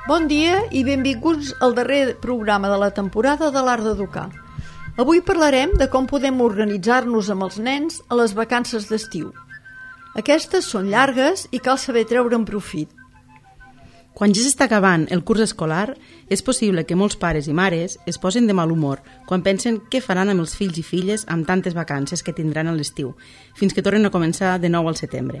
Bon dia i benvinguts al darrer programa de la temporada de l'Art d'Educar. Avui parlarem de com podem organitzar-nos amb els nens a les vacances d'estiu. Aquestes són llargues i cal saber treure'n profit. Quan ja s'està acabant el curs escolar, és possible que molts pares i mares es posin de mal humor quan pensen què faran amb els fills i filles amb tantes vacances que tindran a l'estiu, fins que tornen a començar de nou al setembre.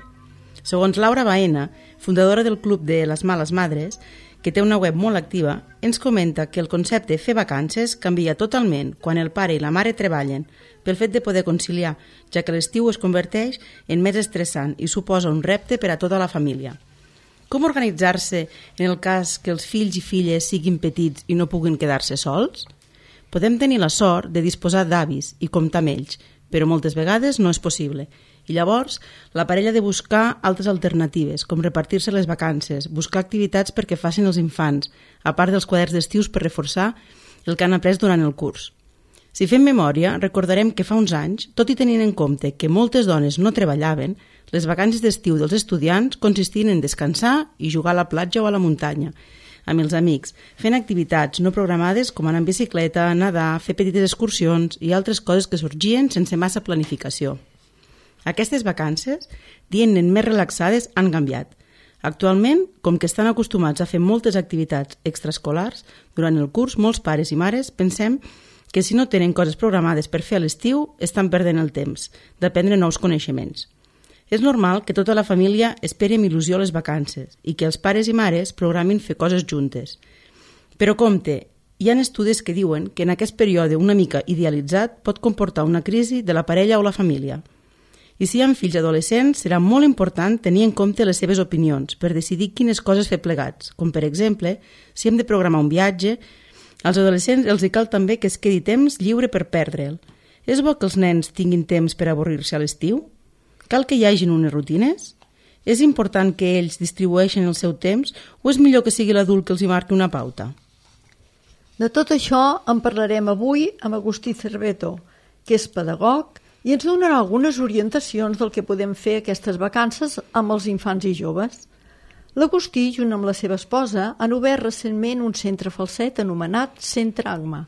Segons Laura Baena, fundadora del Club de les Males Madres, que té una web molt activa, ens comenta que el concepte fer vacances canvia totalment quan el pare i la mare treballen pel fet de poder conciliar, ja que l'estiu es converteix en més estressant i suposa un repte per a tota la família. Com organitzar-se en el cas que els fills i filles siguin petits i no puguin quedar-se sols? Podem tenir la sort de disposar d'avis i comptar amb ells, però moltes vegades no és possible. I llavors, la parella ha de buscar altres alternatives, com repartir-se les vacances, buscar activitats perquè facin els infants, a part dels quaderns d'estius per reforçar el que han après durant el curs. Si fem memòria, recordarem que fa uns anys, tot i tenint en compte que moltes dones no treballaven, les vacances d'estiu dels estudiants consistien en descansar i jugar a la platja o a la muntanya, amb els amics, fent activitats no programades com anar en bicicleta, nedar, fer petites excursions i altres coses que sorgien sense massa planificació. Aquestes vacances, dient-ne més relaxades, han canviat. Actualment, com que estan acostumats a fer moltes activitats extraescolars, durant el curs molts pares i mares pensem que si no tenen coses programades per fer a l'estiu, estan perdent el temps d'aprendre nous coneixements. És normal que tota la família esperi amb il·lusió les vacances i que els pares i mares programin fer coses juntes. Però compte, hi ha estudis que diuen que en aquest període una mica idealitzat pot comportar una crisi de la parella o la família. I si hi ha fills adolescents, serà molt important tenir en compte les seves opinions per decidir quines coses fer plegats, com per exemple, si hem de programar un viatge, als adolescents els hi cal també que es quedi temps lliure per perdre'l. És bo que els nens tinguin temps per avorrir-se a l'estiu? Cal que hi hagin unes rutines? És important que ells distribueixin el seu temps o és millor que sigui l'adult que els hi marqui una pauta? De tot això en parlarem avui amb Agustí Cerveto, que és pedagog i ens donarà algunes orientacions del que podem fer aquestes vacances amb els infants i joves. L'Agustí, junt amb la seva esposa, han obert recentment un centre falset anomenat Centre Agma.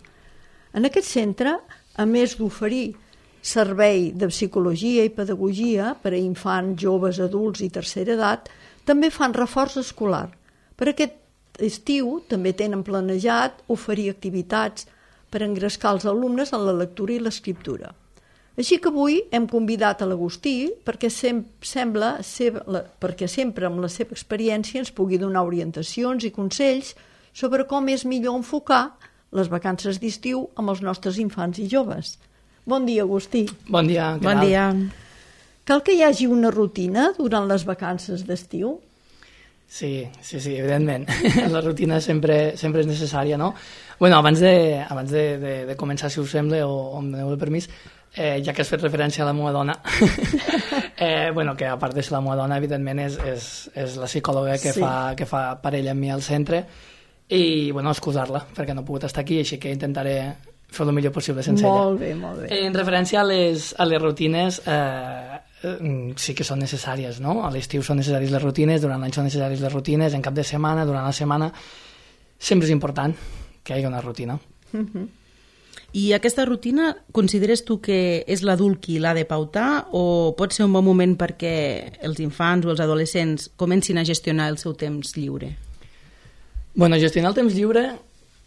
En aquest centre, a més d'oferir servei de psicologia i pedagogia per a infants, joves, adults i tercera edat, també fan reforç escolar. Per aquest estiu també tenen planejat oferir activitats per engrescar els alumnes en la lectura i l'escriptura. Així que avui hem convidat a l'Agustí perquè sempre amb la seva experiència ens pugui donar orientacions i consells sobre com és millor enfocar les vacances d'estiu amb els nostres infants i joves. Bon dia, Agustí. Bon dia. Bon dia. Cal que hi hagi una rutina durant les vacances d'estiu? Sí, evidentment. La rutina sempre és necessària, no? Bueno, abans de començar, si us sembla, o em doneu el permís, ja que has fet referència a la meva dona, que a part de ser la meva dona, evidentment és la psicòloga que fa parella amb mi al centre, i excusar-la, perquè no he pogut estar aquí, així que intentaré fer el millor possible sense ella. Molt bé. En referència a les rutines, sí que són necessàries, no? A l'estiu són necessàries les rutines, durant l'any són necessàries les rutines, en cap de setmana, durant la setmana, sempre és important que hi hagi una rutina. I aquesta rutina consideres tu que és l'adult qui l'ha de pautar o pot ser un bon moment perquè els infants o els adolescents comencin a gestionar el seu temps lliure? Gestionar el temps lliure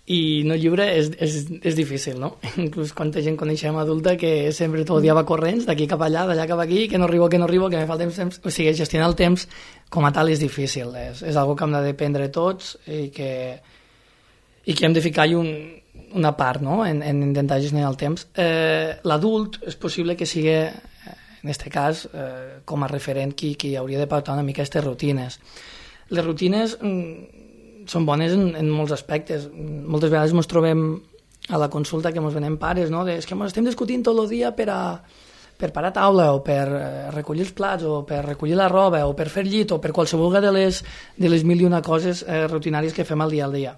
i no lliure és difícil, no? Inclús quanta gent coneixem adulta que sempre tot el dia va corrents, d'aquí cap allà, d'allà cap aquí, que no arribo, que me falta temps. O sigui, gestionar el temps com a tal és difícil, és algo que hem de dependre tots i que hem de ficar-hi una part, no?, en intentar gestionar el temps. L'adult és possible que sigui, en aquest cas, com a referent qui hauria de pautar una mica aquestes rutines. Les rutines són bones en molts aspectes. Moltes vegades ens trobem a la consulta que ens venen pares, no?, és que ens estem discutint tot el dia per parar taula o per recollir els plats o per recollir la roba o per fer llit o per qualsevol de les mil i una coses rutinàries que fem al dia.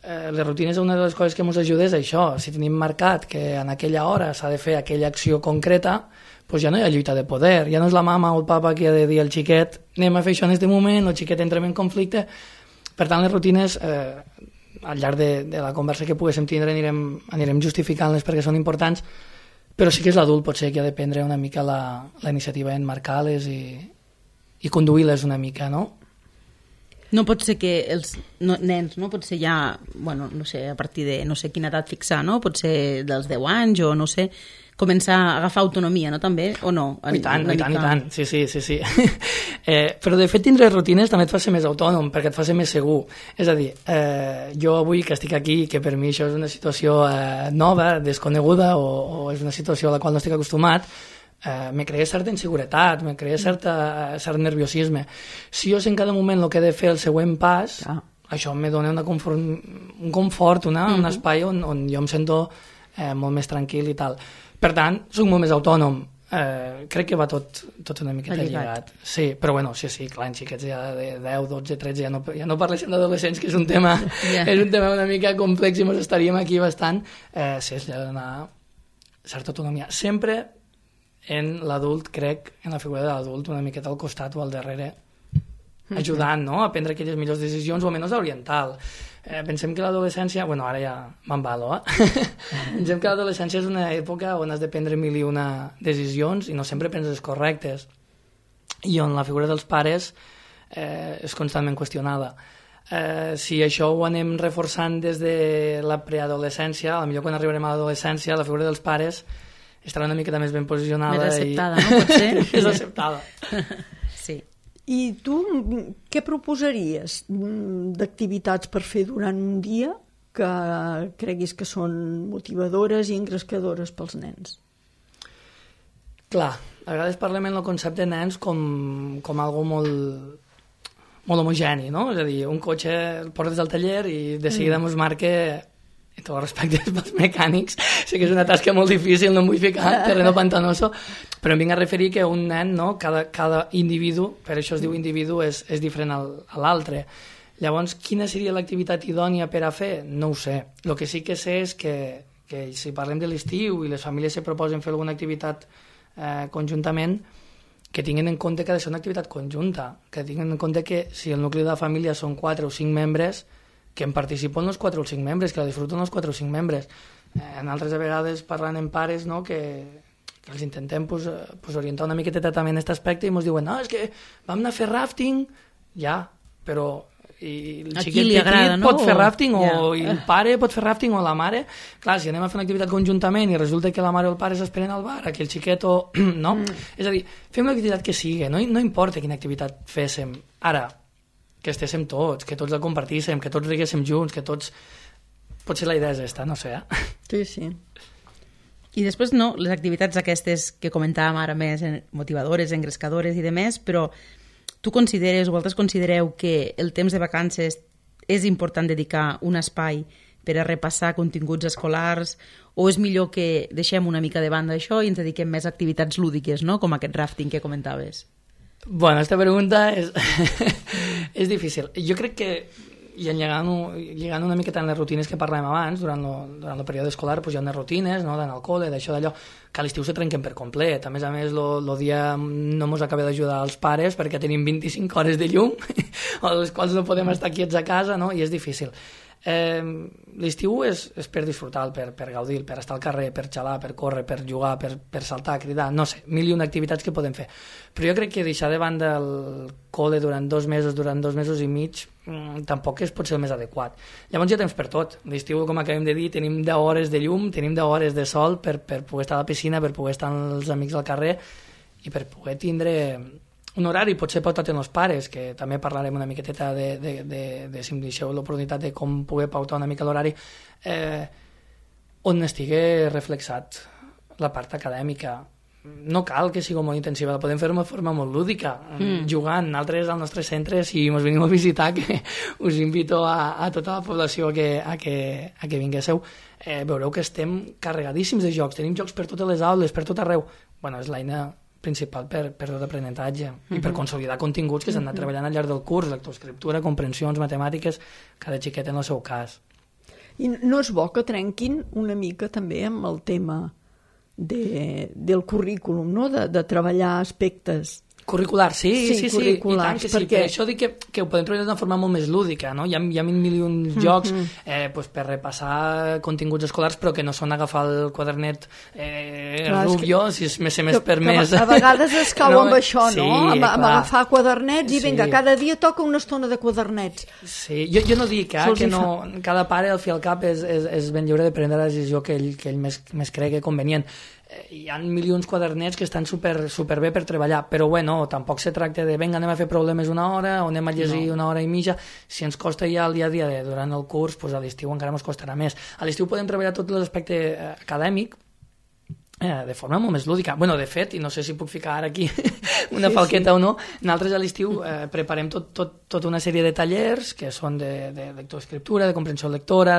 Les rutines, una de les coses que ens ajuda és això. Si tenim marcat que en aquella hora s'ha de fer aquella acció concreta, doncs ja no hi ha lluita de poder, ja no és la mama o el papa qui ha de dir al xiquet anem a fer això en aquest moment, el xiquet entra en conflicte, Per tant, les rutines, al llarg de la conversa que poguéssim tindre, anirem justificant-les perquè són importants, però sí que és l'adult potser que ha de prendre una mica la iniciativa en marcar-les i conduir-les una mica, no? No pot ser que els nens, no? Pot ser ja, bueno, no sé, a partir de no sé quina edat fixar, no? Pot ser dels 10 anys o no sé, començar a agafar autonomia, no? També, o no? I tant, sí. Però de fet tindre rutines també et fa ser més autònom, perquè et fa ser més segur. És a dir, jo avui que estic aquí, que per mi això és una situació nova, desconeguda, o és una situació a la qual no estic acostumat, me crea certa inseguretat, me crea cert nerviosisme. Si jo sé en cada moment el que he de fer el següent pas, això me dona un confort, un espai on jo em sento molt més tranquil i tal. Per tant, soc molt més autònom. Crec que va tot una miqueta lligat. Sí, però bueno, sí, clar, en xiquets ja de 10, 12, 13, ja no parléssim d'adolescents, que és un tema una mica complex i ens estaríem aquí bastant. Sí, és de donar certa autonomia. Sempre en l'adult, crec, en la figura de l'adult, una miqueta al costat o al darrere, ajudant, no?, a prendre aquelles millors decisions, o almenys a orientar-lo. Pensem que l'adolescència, bueno, ara ja m'embalo, pensem que l'adolescència és una època on has de prendre mil i una decisions i no sempre prens les correctes, i on la figura dels pares és constantment qüestionada. Si això ho anem reforçant des de la preadolescència, potser quan arribarem a l'adolescència, la figura dels pares estarà una miqueta més ben posicionada. Més acceptada, no? Pot ser? Més acceptada. Sí. I tu què proposaries d'activitats per fer durant un dia que creguis que són motivadores i engrescadores pels nens? Clar, a vegades parlem en el concepte de nens com algo molt homogeni, no? És a dir, un cotxe el portes al taller i de seguida ens marca, i tot el respecte pels mecànics, sé que és una tasca molt difícil, no em vull ficar terreno pantanoso, però em vinc a referir que un nen, no? Cada individu, per això es diu individu, és diferent a l'altre. Llavors, quina seria l'activitat idònia per a fer? No ho sé. El que sí que sé és que si parlem de l'estiu i les famílies se proposen fer alguna activitat conjuntament, que tinguin en compte que ha de ser una activitat conjunta, que tinguin en compte que si el nucli de la família són 4 o 5 membres, que en participen els 4 o 5 membres, que la disfruten els 4 o 5 membres. En altres vegades parlant amb pares, no?, que els intentem orientar una miqueta també en aquest aspecte i ens diuen, no, és que vam anar a fer rafting, ja, però i el xiquet petit pot fer rafting o el pare pot fer rafting o la mare. Clar, si anem a fer una activitat conjuntament i resulta que la mare o el pare s'esperen al bar, que el xiquet no? És a dir, fem l'activitat que sigui, no importa quina activitat féssim. Ara, que estéssim tots, que tots la compartíssim, que tots riguéssim junts, que tots... Potser la idea és esta, no sé, Sí. I després, no, les activitats aquestes que comentàvem ara més, motivadores, engrescadores i demés, però tu consideres o vosaltres considereu que el temps de vacances és important dedicar un espai per a repassar continguts escolars o és millor que deixem una mica de banda això i ens dediquem més a activitats lúdiques, no?, com aquest rafting que comentaves? Bueno, esta pregunta és difícil. Jo crec que, i llegant una miqueta en les rutines que parlàvem abans, durant el període escolar hi ha unes rutines, no?, d'anar al col·le, d'això, d'allò, que a l'estiu se trenquen per complet. A més, el dia no ens acaba d'ajudar als pares perquè tenim 25 hores de llum, o les quals no podem estar quiets a casa, no?, i és difícil. L'estiu és per disfrutar, per gaudir, per estar al carrer, per xalar, per córrer, per jugar, per saltar, cridar, no sé, mil i una activitats que podem fer. Però jo crec que deixar de banda el col·le durant 2 mesos i mig tampoc pot ser el més adequat. Llavors hi ha temps per tot. L'estiu, com acabem de dir, tenim 10 hores de llum, tenim 10 hores de sol per poder estar a la piscina, per poder estar amb els amics al carrer i per poder tindre un horari, potser pautat en els pares, que també parlarem una miqueteta de si em deixeu l'oportunitat de com poder pautar una mica l'horari, on estigui reflexat la part acadèmica. No cal que sigui molt intensiva, la podem fer d'una forma molt lúdica, jugant. Nosaltres al nostre centre, si ens venim a visitar, que us invito a tota la població a que vinguéssiu, veureu que estem carregadíssims de jocs, tenim jocs per totes les aules, per tot arreu. Bueno, és l'eina principal per tot aprenentatge i per consolidar continguts que s'han anat treballant al llarg del curs, lectoescriptura, comprensions, matemàtiques, cada xiquet en el seu cas. I no és bo que trenquin una mica també amb el tema del currículum, no?, de treballar aspectes Curricular, sí, i tant que sí, perquè... per això dic que ho podem treballar d'una forma molt més lúdica, no? Hi ha mil milions jocs pues per repassar continguts escolars, però que no són agafar el quadernet rubio, si és més permès. A vegades es cau amb això, no? Amb agafar quadernets i vinga, cada dia toca una estona de quadernets. Sí, jo no dic que no, cada pare al fi al cap és ben lliure de prendre la decisió que ell més cregui convenient. Hi ha milions quadernets que estan super bé per treballar, però bueno, tampoc se tracta de venga, anem a fer problemes una hora o anem a llegir una hora i mitja. Si ens costa ja el dia a dia durant el curs, doncs a l'estiu encara ens costarà més. A l'estiu podem treballar tot l'aspecte acadèmic de forma molt més lúdica. Bueno, de fet, i no sé si puc ficar ara aquí una falqueta o no, nosaltres a l'estiu preparem tota una sèrie de tallers que són de lectoescriptura, de comprensió lectora,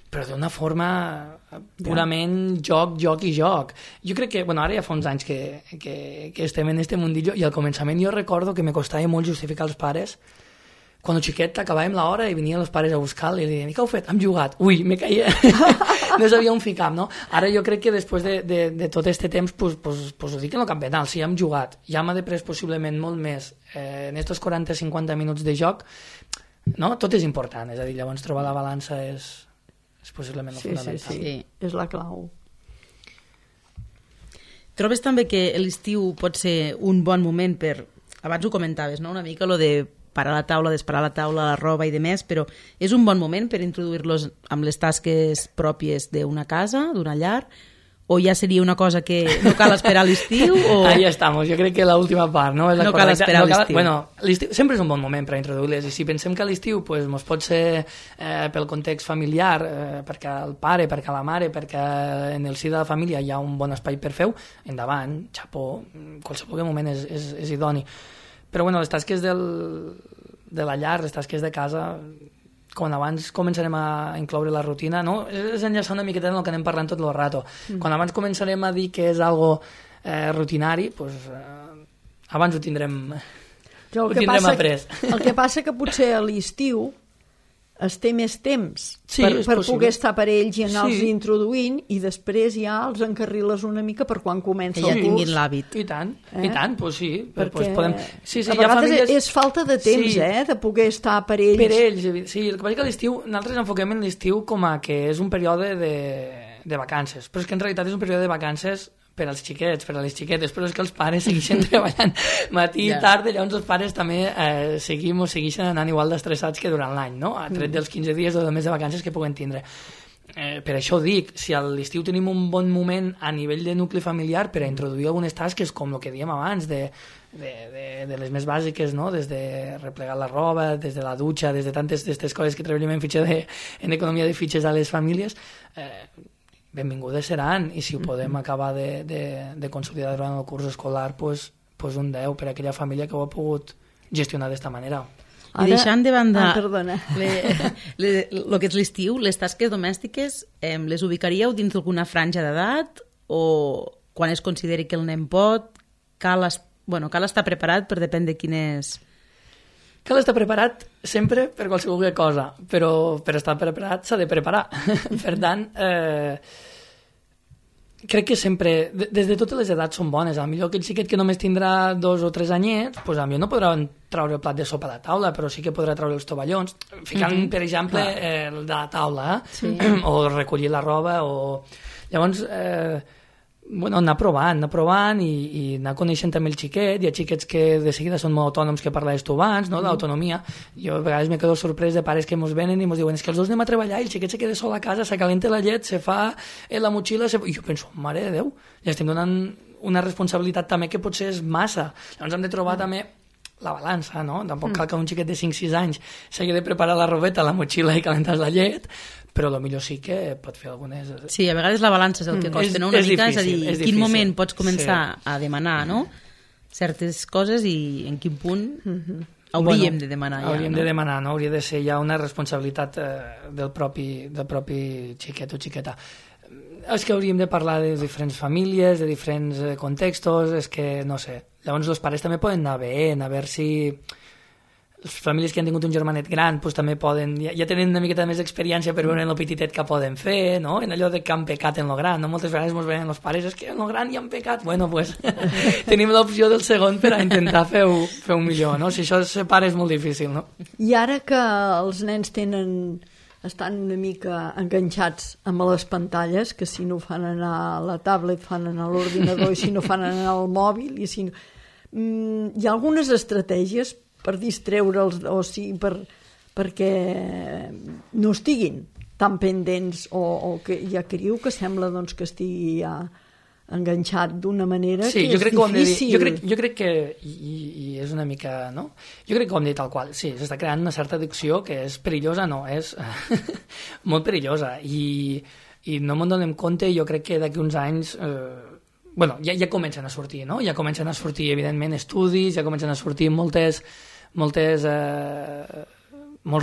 però d'una forma purament joc i joc. Jo crec que, ara ja fa uns anys que estem en este mundillo, i al començament jo recordo que me costava molt justificar als pares. Quan xiquet acabàvem l'hora i venien els pares a buscar i li deien, què heu fet? Hem jugat. Ui, me caia. No sabia on ficar, no? Ara jo crec que després de tot este temps pues ho dic en el cap penal, sí, hem jugat. Ja m'ha després possiblement molt més en estos 40-50 minuts de joc, no? Tot és important, és a dir, llavors trobar la balança és possiblement el fonamental. Sí, és la clau. Trobes també que l'estiu pot ser un bon moment per... Abans ho comentaves, no? Una mica lo de parar la taula, desparar la taula, la roba i demés, però és un bon moment per introduir-los amb les tasques pròpies d'una casa, d'una llar, o ja seria una cosa que no cal esperar l'estiu? O... Ahí estamos, jo crec que l'última part, no? No cal esperar l'estiu. Bueno, l'estiu sempre és un bon moment per introduir-les, i si pensem que a l'estiu pues, mos pot ser pel context familiar, perquè el pare, perquè la mare, perquè en el si de la família hi ha un bon espai per fer-ho, endavant, xapó, qualsevol moment és idoni. Però bueno, les tasques de la llar, les tasques de casa... quan abans començarem a incloure la rutina, no? És enllaçar una miqueta en el que anem parlant tot el rato. Quan abans començarem a dir que és algo rutinari, doncs abans ho tindrem après. El que passa que potser a l'estiu es té més temps per poder estar per ells i anar-los introduint, i després ja els encarriles una mica per quan comença el curs. Que ja tinguin l'hàbit. I tant, doncs sí. Perquè podem... a vegades és falta de temps, de poder estar per ells. Per ells, sí. El que passa que a l'estiu, nosaltres enfoquem en l'estiu com a que és un període de vacances, però és que en realitat és un període de vacances per als xiquets, per a les xiquetes, però és que els pares segueixen treballant matí i tarda, llavors els pares també segueixen anant igual d'estressats que durant l'any, no? A tret dels 15 dies o del mes de vacances que puguen tindre. Per això dic, si a l'estiu tenim un bon moment a nivell de nucli familiar per a introduir algunes tasques, com el que dèiem abans, de les més bàsiques, no? Des de replegar la roba, des de la dutxa, des de tantes d'aquestes coses que treballem en economia de fitxes a les famílies, benvingudes seran, i si ho podem acabar de consolidar durant el curs escolar, pues un 10 per a aquella família que ho ha pogut gestionar d'esta manera. I deixant de banda el que és l'estiu, les tasques domèstiques les ubicaríeu dins d'alguna franja d'edat, o quan es consideri que el nen pot, cal estar preparat per depèn de quines... Cal estar preparat sempre per qualsevol cosa, però per estar preparat s'ha de preparar. Per tant, crec que sempre, des de totes les edats són bones. Potser aquell xiquet que només tindrà 2 o 3 anyets, doncs potser no podrà traure el plat de sopa de la taula, però sí que podrà traure els tovallons, ficant, per exemple, el de la taula, o recollir la roba, o... Llavors... anar provant i anar coneixent també el xiquet. Hi ha xiquets que de seguida són molt autònoms, que parlaves tu abans, no? D'autonomia. Jo a vegades me quedo sorprès de pares que mos venen i mos diuen, és que els dos anem a treballar i el xiquet se queda sol a casa, s'acalenta la llet, se fa la motxilla, i jo penso, mare de Déu, ja estem donant una responsabilitat també que potser és massa. Llavors hem de trobar també la balança, no? Tampoc cal que un xiquet de 5-6 anys s'hagi de preparar la robeta, la motxilla i calentar la llet, però potser sí que pot fer algunes... Sí, a vegades la balança és el que costa, no? Una mica, és a dir, en quin moment pots començar a demanar, no? Certes coses i en quin punt hauríem de demanar ja. Hauríem de demanar, no? Hauria de ser ja una responsabilitat del propi xiquet o xiqueta. És que hauríem de parlar de diferents famílies, de diferents contextos, és que, no sé. Llavors els pares també poden anar veient, a veure si... les famílies que han tingut un germanet gran pues, també poden, ja tenen una miqueta més d'experiència per veure en el petitet que poden fer, no? En allò de que han pecat en lo gran, no? Moltes vegades ens venen els pares, és que en lo gran ja han pecat. Bueno, pues tenim l'opció del segon per a intentar fer-ho millor, no? Si això se separa és molt difícil, no? I ara que els nens estan una mica enganxats amb les pantalles, que si no fan anar a la tablet, fan anar a l'ordinador, i si no fan anar al mòbil, i si no... hi ha algunes estratègies per distreure'ls, o sigui, perquè no estiguin tan pendents, o que ja criu que sembla doncs, que estigui ja enganxat d'una manera que és difícil. Jo crec que, i és una mica, no? Jo crec que ho hem dit tal qual, sí, s'està creant una certa addicció que és perillosa, no, és molt perillosa, i no me'n donem compte, i jo crec que d'aquí uns anys... ja comencen a sortir, no? Ja comencen a sortir, evidentment, estudis, ja comencen a sortir molts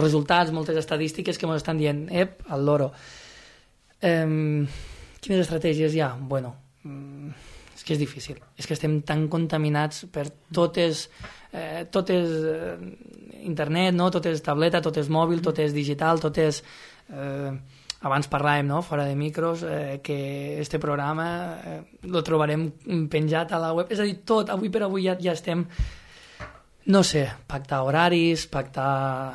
resultats, moltes estadístiques que ens estan dient, al loro. Quines estratègies hi ha? Bueno, és que és difícil. És que estem tan contaminats per tot és internet, no? Tot és tableta, tot és mòbil, tot és digital, tot és... Abans parlàvem, no?, fora de micros, que este programa lo trobarem penjat a la web. És a dir, tot, avui per avui ja estem, no sé, pactar horaris, pactar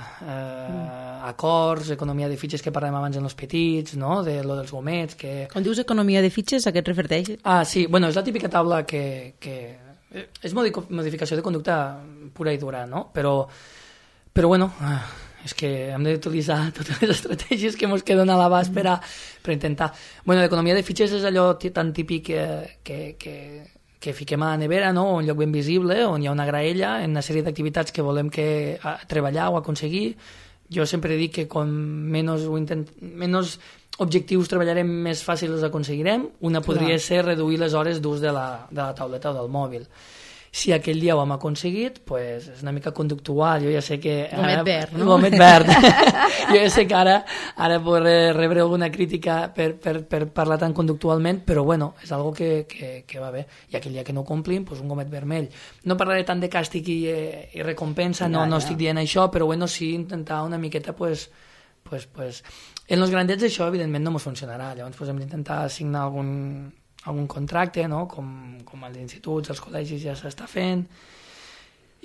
acords, economia de fitxes que parlem abans en els petits, no?, de lo dels gomets, que... Quan dius economia de fitxes, a què et refereixes? Ah, sí, bueno, és la típica taula que és modificació de conducta pura i dura, no?, però bueno... és que hem d'utilitzar totes les estratègies que ens queden a l'abast per intentar... Bueno, l'economia de fitxes és allò tan típic que fiquem a la nevera, no? Un lloc ben visible, on hi ha una graella, en una sèrie d'activitats que volem treballar o aconseguir. Jo sempre dic que com menys objectius treballarem, més fàcil els aconseguirem. Una podria ser reduir les hores d'ús de la tauleta o del mòbil. Si aquell dia ho hem aconseguit, pues, és una mica conductual. Jo ja sé que... Gomet verd, no? Gomet verd. Jo ja sé que ara podré rebre alguna crítica per parlar tan conductualment, però bueno, és algo que va bé. I aquell dia que no ho complim, pues, un gomet vermell. No parlaré tant de càstig i recompensa, no estic dient això, però bueno, sí intentar una miqueta, pues, en els grandets això, evidentment, no ens funcionarà. Llavors, pues, hem d'intentar signar algun contracte, no? Com als instituts, als col·legis ja s'està fent,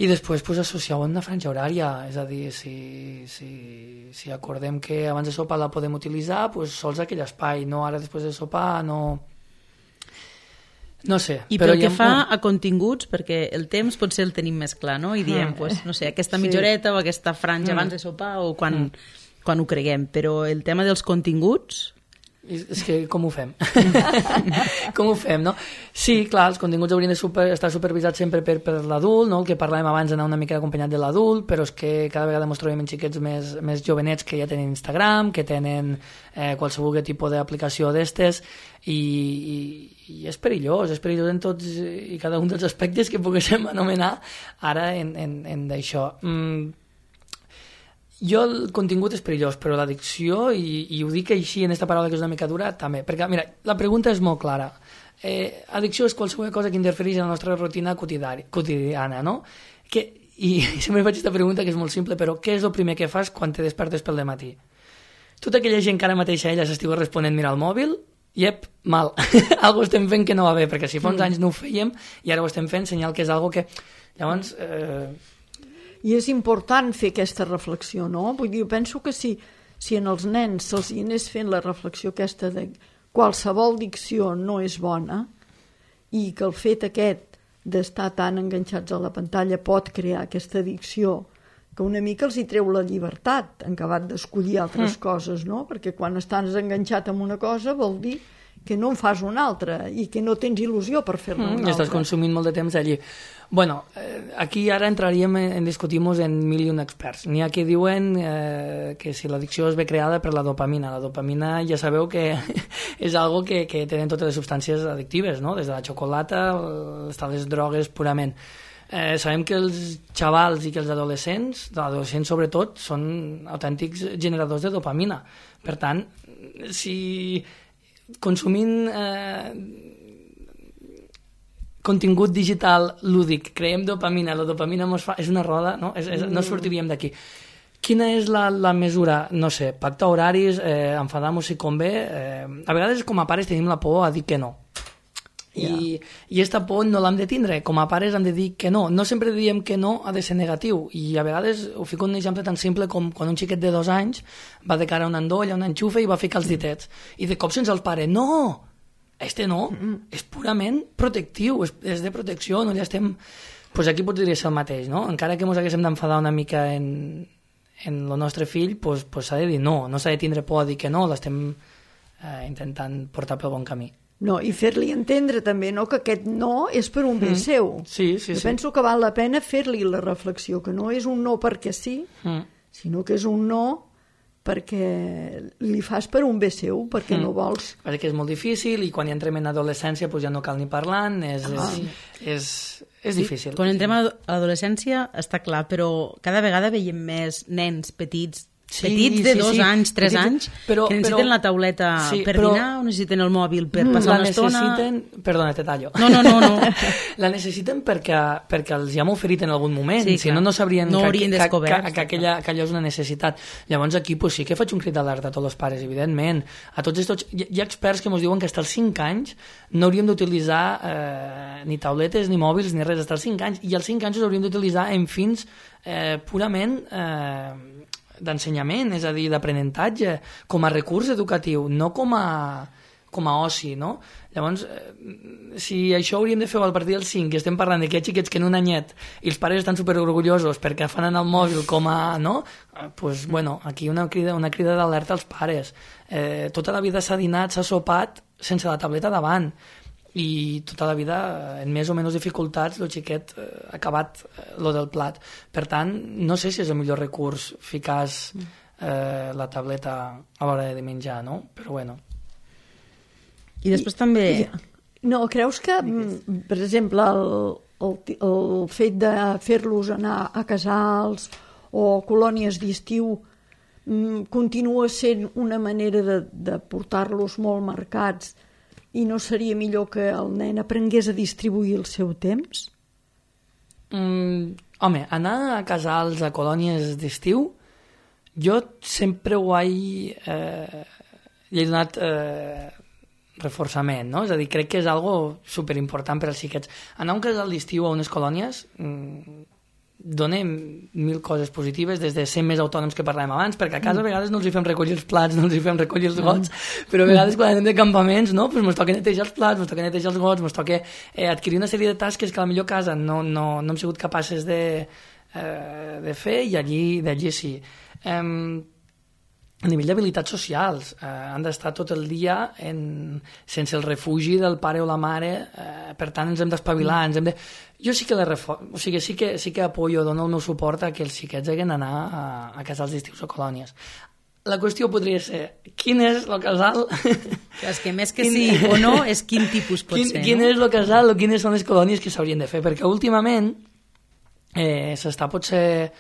i després pues, associar-ho a una franja horària, és a dir, si acordem que abans de sopar la podem utilitzar, pues, sols aquell espai, no ara després de sopar, no sé. I pel que fa a continguts, perquè el temps potser el tenim més clar, no? I diem, pues, no sé, aquesta mitjoreta o aquesta franja abans de sopar o quan ho creguem, però el tema dels continguts... És que com ho fem? Com ho fem, no? Sí, clar, els continguts haurien d'estar supervisats sempre per l'adult, no? El que parlàvem abans d'anar una mica acompanyat de l'adult, però és que cada vegada ens trobem en xiquets més jovenets que ja tenen Instagram, que tenen qualsevol tipus d'aplicació d'estes, i és perillós en tots i cada un dels aspectes que poguéssim anomenar ara en d'això. Jo el contingut és perillós, però l'addicció, i ho dic així en aquesta paraula que és una mica dura, també. Perquè, mira, la pregunta és molt clara. Addicció és qualsevol cosa que interfereix en la nostra rutina quotidiana, no? I sempre faig aquesta pregunta que és molt simple, però què és el primer que fas quan te despertes pel dematí? Tota aquella gent que ara mateix a ella s'estigui responent mirar el mòbil, mal. Algo estem fent que no va bé, perquè si fa uns anys no ho fèiem i ara ho estem fent, senyal que és algo que... Llavors... I és important fer aquesta reflexió, no? Vull dir, jo penso que si en els nens se'ls anés fent la reflexió aquesta de qualsevol dicció no és bona i que el fet aquest d'estar tan enganxats a la pantalla pot crear aquesta addicció que una mica els hi treu la llibertat en acabat d'escollir altres coses, no? Perquè quan estàs enganxat amb una cosa vol dir que no en fas una altra i que no tens il·lusió per fer-ne una altra. Estàs consumint molt de temps allí. Bueno, aquí ara entraríem en discutir-nos en 1.001 experts. N'hi ha que diuen que si l'addicció es ve creada per la dopamina. La dopamina ja sabeu que és algo que tenen totes les substàncies addictives, no? Des de la xocolata fins a les drogues purament. Sabem que els xavals i que els adolescents sobretot, són autèntics generadors de dopamina. Per tant, si consumint contingut digital lúdic, creem dopamina, la dopamina és una roda, no? No sortiríem d'aquí. Quina és la mesura? No sé, pactar horaris, enfadar-nos si convé. A vegades com a pares tenim la por a dir que no. I aquesta por no l'hem de tindre. Com a pares hem de dir que no. No sempre diem que no ha de ser negatiu. I a vegades ho fico un exemple tan simple com quan un xiquet de 2 anys va de cara a un endoll, a un enxufe i va ficar els ditets. I de cop se'ns el pare, no! Este no, és purament protectiu, és de protecció, no ja estem... Pues aquí podria ser el mateix, no? Encara que ens haguéssim d'enfadar una mica en el nostre fill, pues s'ha de dir no s'ha de tindre por a dir que no, l'estem intentant portar pel bon camí. No, i fer-li entendre també, no?, que aquest no és per un bé seu. Sí. Jo penso que val la pena fer-li la reflexió, que no és un no perquè sí, sinó que és un no perquè li fas per un bé seu, perquè no vols... Perquè és molt difícil i quan hi entrem en adolescència pues ja no cal ni parlant, és difícil. Quan entrem a l'adolescència està clar, però cada vegada veiem més nens petits de 2 anys, 3 anys, que necessiten la tauleta per dinar o necessiten el mòbil per passar una estona... Perdona, te tallo. No. La necessiten perquè els hi hem oferit en algun moment, sí, si no sabrien que aquella és una necessitat. Llavors aquí sí que faig un crit d'alerta a tots els pares, evidentment. A tots estos, hi ha experts que ens diuen que fins als 5 anys no hauríem d'utilitzar ni tauletes, ni mòbils, ni res, fins als 5 anys, i als 5 anys els hauríem d'utilitzar en fins purament... d'ensenyament, és a dir, d'aprenentatge, com a recurs educatiu, no com a oci, no? Llavors, si això hauríem de fer a partir del 5, i estem parlant de que hi ha xiquets que en un anyet i els pares estan superorgullosos perquè fan anar el mòbil com a... no? Pues, bueno, aquí una crida d'alerta als pares. Tota la vida s'ha dinat, s'ha sopat sense la tableta davant, i tota la vida, en més o menys dificultats, el xiquet ha acabat lo del plat. Per tant, no sé si és el millor recurs ficar la tableta a l'hora de menjar, no? Però bueno. I després també... No, creus que, per exemple, el fet de fer-los anar a casals o colònies d'estiu continua sent una manera de portar-los molt marcats, i no seria millor que el nen aprengués a distribuir el seu temps? Home, anar a casals, a colònies d'estiu, jo sempre hi he donat reforçament, no? És a dir, crec que és algo superimportant per als xiquets. Anar a un casal d'estiu o a unes colònies dona 1000 coses positives, des de ser més autònoms que parlàvem abans, perquè a casa a vegades no els hi fem recollir els plats, no els hi fem recollir els gots, però a vegades quan anem de campaments, no? Pues ens toca netejar els plats, ens toca netejar els gots, ens toca adquirir una sèrie de tasques que a la millor casa no hem sigut capaces de fer, i d'allí sí. A nivell d'habilitats socials, han d'estar tot el dia sense el refugi del pare o la mare, per tant ens hem d'espavilar, Jo sí que sí que apoyo, dono el meu suport a que els xiquets hagin d'anar a casals d'estius o colònies. La qüestió podria ser, quin és el casal... És que més que sí o no, és quin tipus pot ser. Quin és el casal o quines són les colònies que s'haurien de fer, perquè últimament s'està potser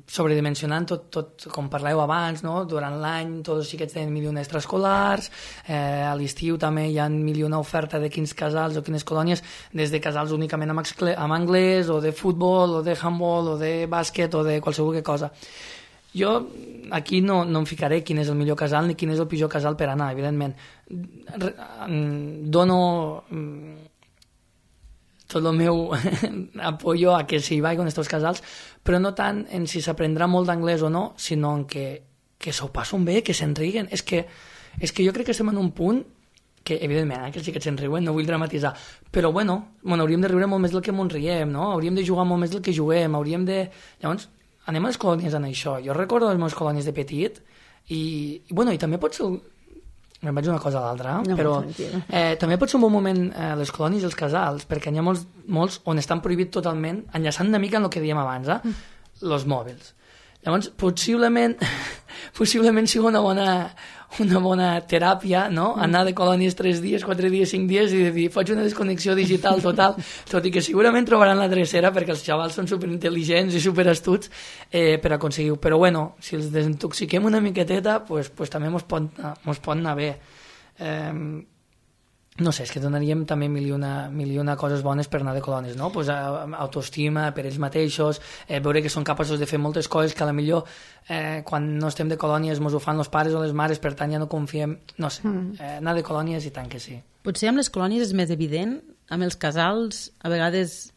sobredimensionant tot com parleu abans, no? Durant l'any tots els xiquets tenen 1.000 extraescolars, a l'estiu també hi ha 1.000 oferta de quins casals o quines colònies, des de casals únicament amb anglès, o de futbol, o de handball, o de bàsquet, o de qualsevol cosa. Jo aquí no em ficaré quin és el millor casal ni quin és el pitjor casal per anar, evidentment. Dono tot el meu apoyo a que s'hi vagi en aquests casals, però no tant en si s'aprendrà molt d'anglès o no, sinó en que s'ho passen bé, que se'n riguen. És que jo crec que estem en un punt que, evidentment, que sí que se'n riuen, no vull dramatitzar, però bueno, hauríem de riure molt més del que ens riem, no? Hauríem de jugar molt més del que juguem, Llavors, anem a les colònies en això. Jo recordo les meves colònies de petit i també pot ser... Me'n vaig una cosa a l'altra, però també pot ser un bon moment les colònies i els casals, perquè n'hi ha molts on estan prohibits totalment, enllaçant una mica en el que dèiem abans, els mòbils. Llavors, possiblement sigui una bona teràpia, no? Anar de colònies 3 dies, 4 dies, 5 dies i dir, faig una desconnexió digital total, tot i que segurament trobaran la drecera perquè els xavals són superintel·ligents i superastuts per aconseguir-ho. Però bueno, si els desintoxiquem una miqueteta, pues també mos pot anar bé. no sé, és que donaríem també mil i una coses bones per anar de colònies, no? Pues, autoestima per ells mateixos, veure que són capaços de fer moltes coses que a la millor quan no estem de colònies mos ho fan els pares o les mares, per tant ja no confiem, no sé, anar de colònies i tant que sí. Potser amb les colònies és més evident, amb els casals a vegades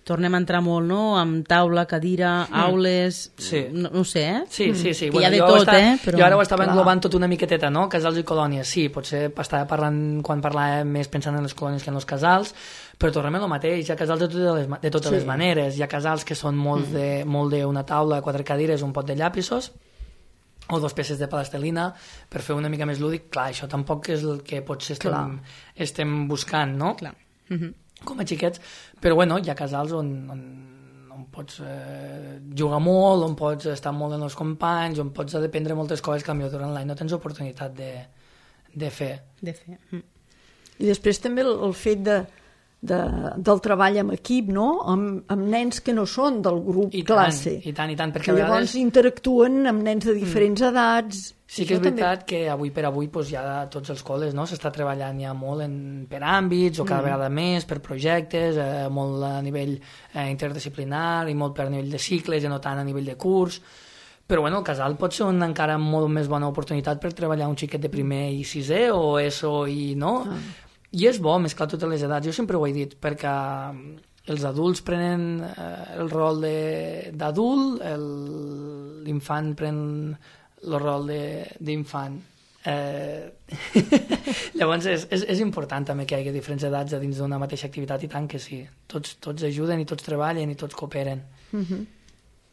tornem a entrar molt, no?, amb taula, cadira, aules, sí. No sé, Sí. Que Bueno, hi ha de tot, però... Jo ara ho estava englobant tot una miqueteta, no?, casals i colònies, sí, potser estava parlant, quan parlàvem més pensant en les colònies que en els casals, però tornem a lo mateix, hi ha casals de totes les maneres, hi ha casals que són molt d'una taula, 4 cadires, un pot de llapisos, o 2 peces de plastelina, per fer una mica més lúdic. Clar, això tampoc és el que potser estem buscant, no? Clar. Com a xiquets, però bueno, hi ha casals on pots jugar molt, on pots estar molt amb els companys, on pots dependre moltes coses que potser durant l'any no tens oportunitat de fer. I després també el fet del treball en equip, no? Amb nens que no són del grup classe. I tant, perquè que llavors interactuen amb nens de diferents edats. Sí que és veritat que avui per avui doncs, ja a tots els col·les s'està treballant ja molt per àmbits o cada vegada més, per projectes, molt a nivell interdisciplinar i molt per nivell de cicles i no tant a nivell de curs. Però bueno, el casal pot ser una encara molt més bona oportunitat per treballar un xiquet de primer i sisè o ESO i no. I és bo mesclar totes les edats, jo sempre ho he dit, perquè els adults prenen el rol d'adult, l'infant pren el rol d'infant. Llavors és important també que hi hagi diferents edats a dins d'una mateixa activitat, i tant que sí. Tots ajuden i tots treballen i tots cooperen.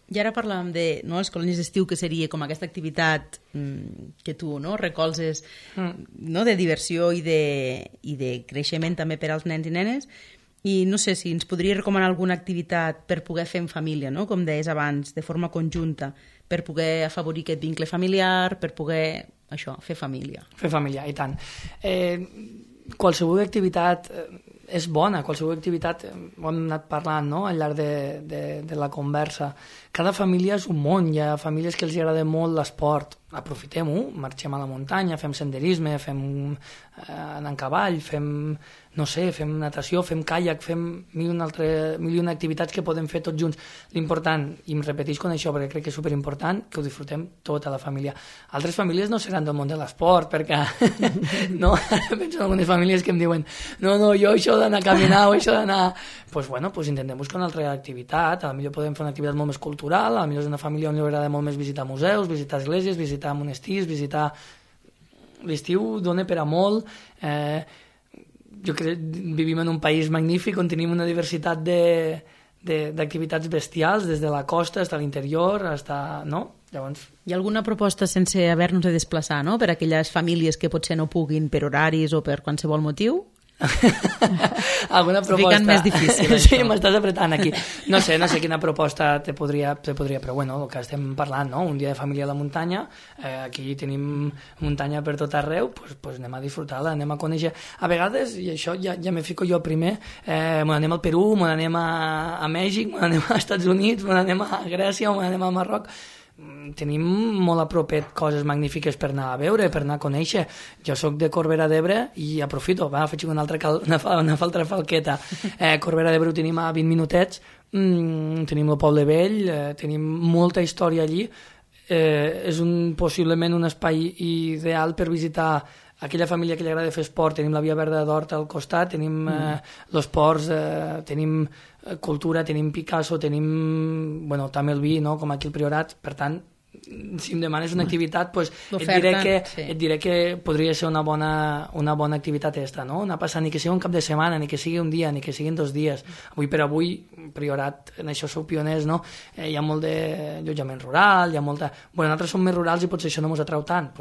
I ara parlàvem de les colònies d'estiu, que seria com aquesta activitat que tu recolzes de diversió i de creixement també per als nens i nenes, i no sé si ens podries recomanar alguna activitat per poder fer en família, no? Com deies abans, de forma conjunta, per poder afavorir aquest vincle familiar, per poder fer família. Fer família, i tant. Qualsevol activitat és bona, qualsevol activitat, ho hem anat parlant al llarg de la conversa. Cada família és un món, hi ha famílies que els agrada molt l'esport, aprofitem-ho, marxem a la muntanya, fem senderisme, fem anar en cavall, fem natació, fem caiac, fem mil i una activitats que podem fer tots junts. L'important, i em repetisc con això perquè crec que és superimportant, que ho disfrutem tota la família. Altres famílies no seran del món de l'esport, perquè no, penso en algunes famílies que em diuen no, jo això d'anar a caminar o això d'anar... Doncs intentem buscar una altra activitat, a la millor podem fer una activitat molt més cultural, a la millor és una família on li agrada molt més visitar museus, visitar esglésies, visitar monestirs, visitar... L'estiu dona per a molt, jo crec que vivim en un país magnífic on tenim una diversitat d'activitats bestials, des de la costa fins a l'interior, no? Llavors... Hi ha alguna proposta sense haver-nos de desplaçar, no?, per a aquelles famílies que potser no puguin per horaris o per qualsevol motiu? Alguna proposta... Ficant més difícil, sí, m'estàs apretant aquí. No sé quina proposta te podria, però bueno, el que estem parlant, no? Un dia de família a la muntanya, aquí tenim muntanya per tot arreu, doncs anem a disfrutar-la, anem a conèixer. A vegades, i això ja me fico jo primer, anem al Perú, anem a Mèxic, anem als Estats Units, anem a Grècia, anem a Marroc. Tenim molt a propet coses magnífiques per anar a veure, per anar a conèixer. Jo sóc de Corbera d'Ebre i aprofito, faig una altra falqueta. Corbera d'Ebre ho tenim a 20 minutets, tenim el Poble Vell, tenim molta història allí. És possiblement un espai ideal per visitar aquella família que li agrada fer esport. Tenim la Via Verda d'Horta al costat, tenim els ports, tenim cultura, tenim Picasso, tenim també el vi, no? Com aquí al Priorat. Per tant, si em demanes una activitat, et diré que podria ser una bona activitat esta, no? Anar passant, ni que sigui un cap de setmana, ni que sigui un dia, ni que siguin 2 dies. Avui per avui, Priorat, en això sou pioners, no? Hi ha molt d'allotjament rural, hi ha molta... nosaltres som més rurals i potser això no ens atrau tant.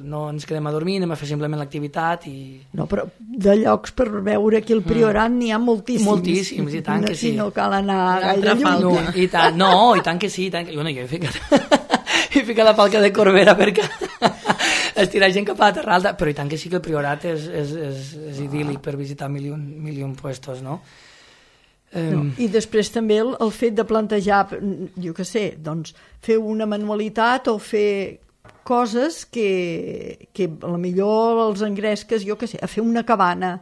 No ens quedem a dormir, anem a fer simplement l'activitat i... No, però de llocs per veure aquí al Priorat n'hi ha moltíssims. Moltíssims, i tant que sí. I no cal anar gaire lluny. I tant que sí. Jo he ficat la falca de Corbera perquè estirar gent cap a la Terra Alta, però i tant que sí que el Priorat és idíl·lic per visitar mil i un puestos, no? I després també el fet de plantejar, jo què sé, doncs fer una manualitat o fer coses que potser els engresques, jo què sé, a fer una cabana,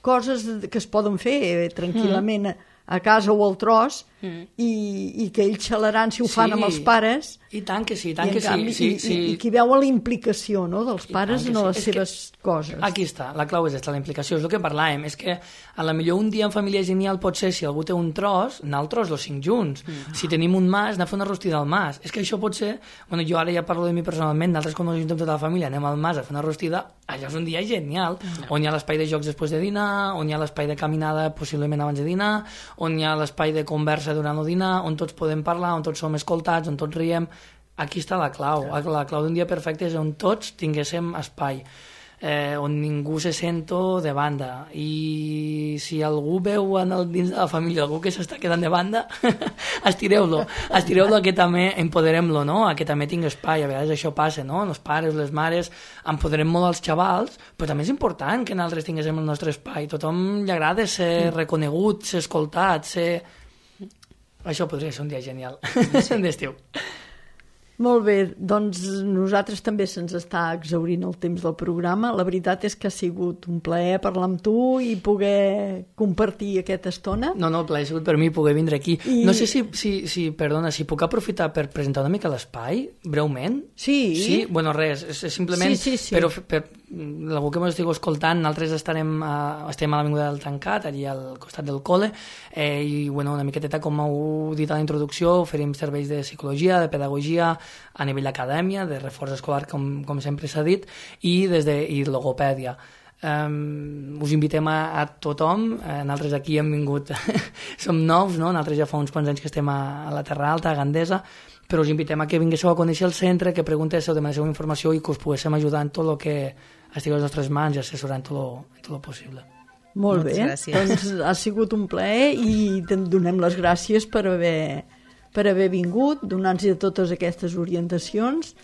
coses que es poden fer tranquil·lament a casa o al tros, i que ells xalaran si ho fan amb els pares. I tant que sí, I qui veu la implicació, no?, dels pares en les seves coses. Aquí està, la clau és aquesta, la implicació, és el que parlàvem, és que a la millor un dia en família genial pot ser, si algú té un tros, anar al tros, els 5 junts. Si tenim un mas, anar a fer una rostida al mas. És que això pot ser, bueno, jo ara ja parlo de mi personalment, nosaltres quan ens ajuntem tota la família anem al mas a fer una rostida, allò és un dia genial, on hi ha l'espai de jocs després de dinar, on hi ha l'espai de caminada possiblement abans de dinar, on hi ha l'espai de conversa durant el dinar, on tots podem parlar, on tots som escoltats, on tots riem. Aquí està la clau. La clau d'un dia perfecte és on tots tinguéssim espai, on ningú se sento de banda. I si algú veu dins de la família algú que s'està quedant de banda, estireu-lo a que també empoderem-lo, no? A que també tingui espai. A vegades això passa, no? Els pares, les mares, empoderem molt als xavals, però també és important que nosaltres tinguéssim el nostre espai. Tothom li agrada ser reconegut, ser escoltat, ser... Això podria ser un dia genial d'estiu. Molt bé, doncs nosaltres també se'ns està exhaurint el temps del programa. La veritat és que ha sigut un plaer parlar amb tu i poder compartir aquesta estona. No, el plaer ha sigut per mi poder vindre aquí. No sé si puc aprofitar per presentar una mica l'espai, breument. Sí? Bueno, res, és simplement... Sí. Però per algú que m'estigueu escoltant, nosaltres estem a l'Avinguda del Tancat, allà al costat del col·le, i bueno, una miqueteta, com heu dit a la introducció, oferim serveis de psicologia, de pedagogia, a nivell d'acadèmia, de reforç escolar, com sempre s'ha dit, i logopèdia. Us invitem a tothom. Nosaltres aquí hem vingut som nous, no? Nosaltres ja fa uns quants anys que estem a la Terra Alta, a Gandesa, però us invitem a que vinguéssiu a conèixer el centre, que preguntéssiu, demanéssiu informació i que us poguéssim ajudar en tot el que estigui a les nostres mans i assessorar en tot el possible. Molt bé, doncs ha sigut un plaer i donem les gràcies per haver vingut, donant-nos totes aquestes orientacions,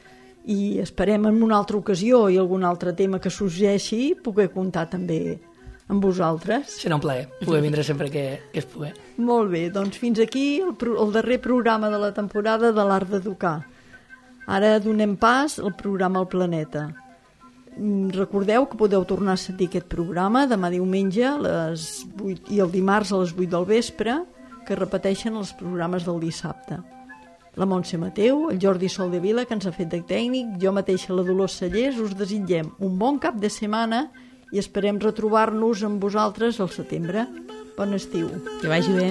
i esperem en una altra ocasió i algun altre tema que sorgeixi poder comptar també amb vosaltres. Serà un plaer poder vindre sempre que es pugui. Molt bé, doncs fins aquí el darrer programa de la temporada de l'Art d'Educar. Ara donem pas al programa El Planeta. Recordeu que podeu tornar a sentir aquest programa demà diumenge a les 8 i el dimarts a les 8 del vespre, que repeteixen els programes del dissabte. La Montse Mateu, el Jordi Soldevila, que ens ha fet de tècnic, jo mateixa, la Dolors Cellers, us desitgem un bon cap de setmana i esperem retrobar-nos amb vosaltres al setembre. Bon estiu. Que vagi bé.